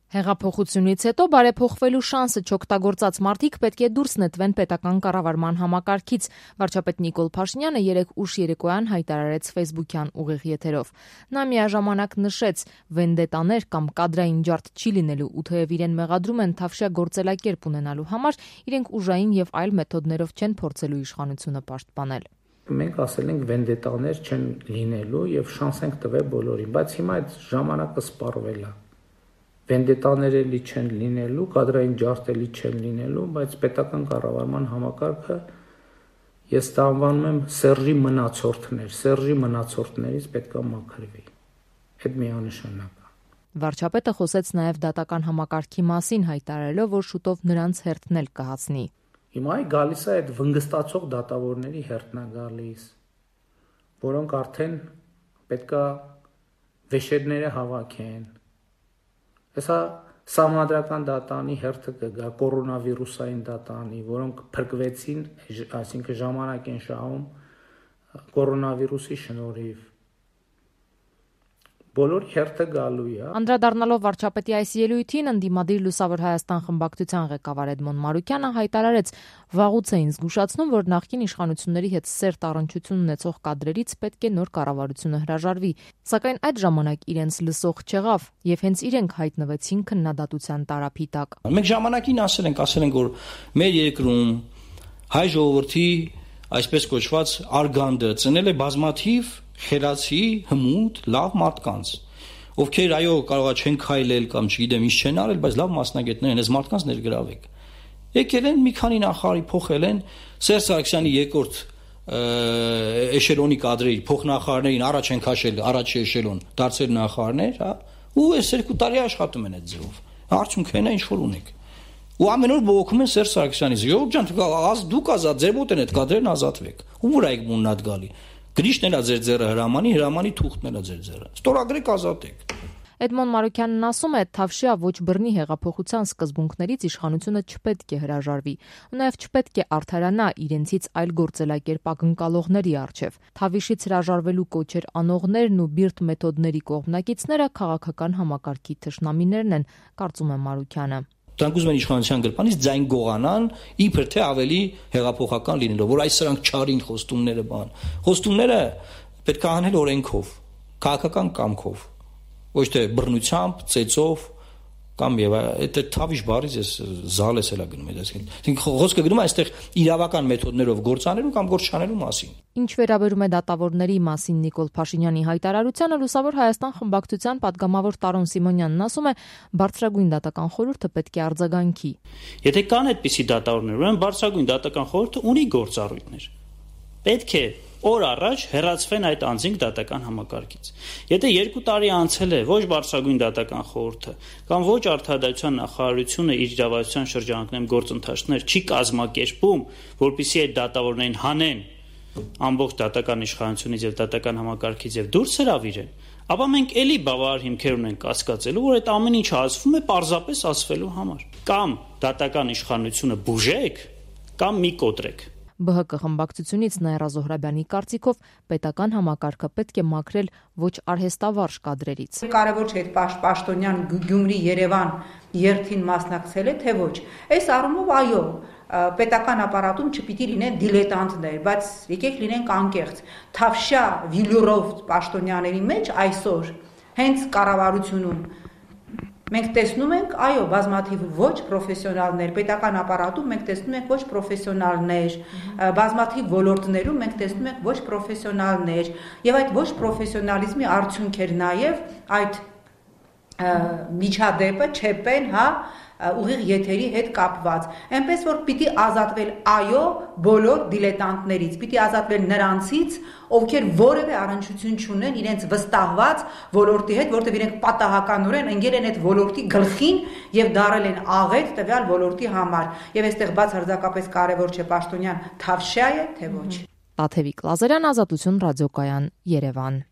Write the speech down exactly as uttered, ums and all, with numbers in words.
Հեղափոխությունից հետո բարեփոխվելու շանսը չօգտագործած մարդիկ պետք է դուրս նետվեն պետական կառավարման համակարգից, վարչապետ Նիկոլ Փաշինյանը երեկ ուշ երեկոյան հայտարարեց ֆեյսբուքյան ուղիղ եթերով։ Նա միաժամանակ նշեց՝ վենդետաներ կամ կադրային ջարդ չի լինելու, ու թեև իրեն մեղադրում են թավշյա գործելակերպ ունենալու համար, իրենք ուժային եւ այլ մեթոդներով չեն փորձելու իշխանությունը պաշտպանել։ Մենք ասել ենք վենդետաներ չեն լինելու եւ շանս ենք տվել բոլորին, բայց հիմա այդ ժամանակը սպառվել է։ Վենդետաները լի չեն լինելու, կադրային ջարդելի չեն լինելու, բայց պետական կառավարման համակարգը ես դա անվանում եմ Սերժի մնացորդներ, Սերժի մնացորդներից պետք է մաքրվի։ Այդ միանշանակ է։ Վարչապետը խոսեց նաև դատական համակարգի մասին, հայտարարելով, որ շուտով նրանց հերթն էլ կհասնի։ Հիմա գալիս է այդ վնգստացող դատավորների հերթն է գալիս, որոնք արդեն պետք է վեշերները հավաքեն։ Հեսա սահմանադրական դատանի հերթը կգա, կորոնավիրուսային դատանի, որոնք փրկվեցին, այսինքն ժամանակ են շահում կորոնավիրուսի շնորհիվ։ Բոլոր հերթը գալու է։ Անդրադառնալով վարչապետի այս ելույթին, ընդդիմադիր Լուսավոր Հայաստան խմբակցության ղեկավար Էդմոն Մարուկյանը հայտարարեց՝ վաղուց էին զգուշացնում, որ նախկին իշխանությունների հետ սերտ առնչություն ունեցող կադրերից պետք է նոր կառավարությունը հրաժարվի, սակայն այդ ժամանակ իրենց լսող չեղավ, եւ հենց իրենք հայտնվեցին քննադատության տարափի տակ։ Մենք ժամանակին ասել ենք, ասել ենք, որ մեր երկրում հայ ժողովրդի այսպես կոչված արգանդը ծնել է բազմաթիվ խելացի, հմուտ, լավ մարդկանց, ովքեր այո կարող է չեն քայլել կամ չգիտեմ ինչ չեն արել, բայց լավ մասնագետներ են, այս մարդկանց ներգրավեք։ Եկել են մի քանի նախարարի փոխել են Սերժ Սարգսյանի երկրորդ էշելոնի կադրերի փոխնախարարներին առաջ են քաշել, առաջի էշելոն դարձել նախարարներ, հա, ու այս երկու տարի աշխատում են այդ ձևով։ Արդյունքն է ինչ որ ունեք։ Ու ամեն օր բողոքում են Սերժ Սարգսյանից։ Ժողովուրդ ջան, դուք ազատ, ձեր մոտ են այդ կադրերն ազատվեք։ Ու որ այգ մուննատ գալի։ Գրիշն էլա ձեր ձեռը հրամանի, հրամանի թուղթն էլա ձեր ձեռը։ Ստորագրեք ազատեք։ Էդմոն Մարուկյանն ասում է, թավշյա ոչ բռնի հեղափոխության սկզբունքներից իշխանությունը չպետք է հրաժարվի, ու նաև չպետք է արդարանա իրենցից այլ գործելակերպ ակնկալողների առջև։ Թավիշից հրաժարվելու կոչեր անողներն ու բիրտ մեթոդների կողմնակիցները քաղաքական համակարգի թշնամիներն են, կարծում է Մարուկյանը։ Դրանք ուզում են իշխանության գրպանից ձայն գողանան, իբր թե ավելի հեղափոխական լինելով, որ այս սրանք չարին խոստումները բան։ Խոստումները պետք է անել օրենքով, քաղաքական կամքով, ոչ թե բռնությամբ, ծեծով կամ եւ այդ թավիշ բառից էս զալես էլա գնում է, այսինքն խոսքը գնում է այստեղ իրավական մեթոդներով գործանելու կամ գործ չանելու մասին։ Ինչ վերաբերում է դատավորների մասին Նիկոլ Փաշինյանի հայտարարությանը, Լուսավոր Հայաստան խմբակցության падգամավոր Տարոն Սիմոնյանն ասում է, բարձրագույն դատական խորհուրդը պետք է արձագանքի։ Եթե կան այդպիսի դատավորներ, ուրեմն բարձրագույն դատական խորհուրդը ունի գործառույթներ։ Պետք է օր առաջ հեռացվեն այդ անձինք դատական համակարգից։ Եթե երկու տարի անցել է ոչ բարձրագույն դատական խորհուրդը կամ ոչ արդարադատության նախարարությունը իր իրավասության շրջանակներում գործընթացներ չի կազմակերպում, որպեսզի այդ դատավորներին հանեն ամբողջ դատական իշխանությունից եւ դատական համակարգից եւ դուրս հրավիրեն, ապա մենք էլի բավարար հիմքեր ունենք կասկածելու, որ այդ ամեն ինչը ասվում է պարզապես ասվելու համար։ Կամ դատական իշխանությունը բուժեք, կամ մի կոտրեք։ Բ Հ Կ խմբակցությունից Նաիրա Զոհրաբյանի կարծիքով պետական համակարգը պետք է մաքրել ոչ արհեստավարժ կադրերից։ Կարևոր չէ Պաշտոնյան Գյումրի Երևան երթին մասնակցել է, թե ոչ։ Այս առումով այո, պետական ապարատում չպիտի լինեն դիլետանտներ, բայց եկեք լինենք անկեղծ։ Թավշյա վիլյուրով Պաշտոնյաների մեջ այսօր հենց կառավարությունում մենք տեսնում ենք, այո, բազմաթիվ ոչ պրոֆեսիոնալներ, պետական ապարատում մենք տեսնում ենք ոչ պրոֆեսիոնալներ, բազմաթիվ ոլորտներում մենք տեսնում ենք ոչ պրոֆեսիոնալներ, եւ այդ ոչ պրոֆեսիոնալիզմի արդյունք էր նաեւ այդ միջադեպը, չեպեն, հա, ուղիղ եթերի հետ կապված։ Այնպես որ պիտի ազատվել այո բոլոր դիլետանտներից, պիտի ազատվել նրանցից, ովքեր որևէ առնչություն չունեն իրենց վստահված ոլորտի հետ, որտեղ իրենք պատահականորեն ընկել են այդ ոլորտի գլխին եւ դարել են աղետ տվյալ ոլորտի համար։ Եվ այստեղ բաց հարձակապես կարևոր չէ Պաշտոնյան թավշյա է, թե ոչ։ Տաթևիկ Լազարյան, Ազատություն ռադիոկայան, Երևան։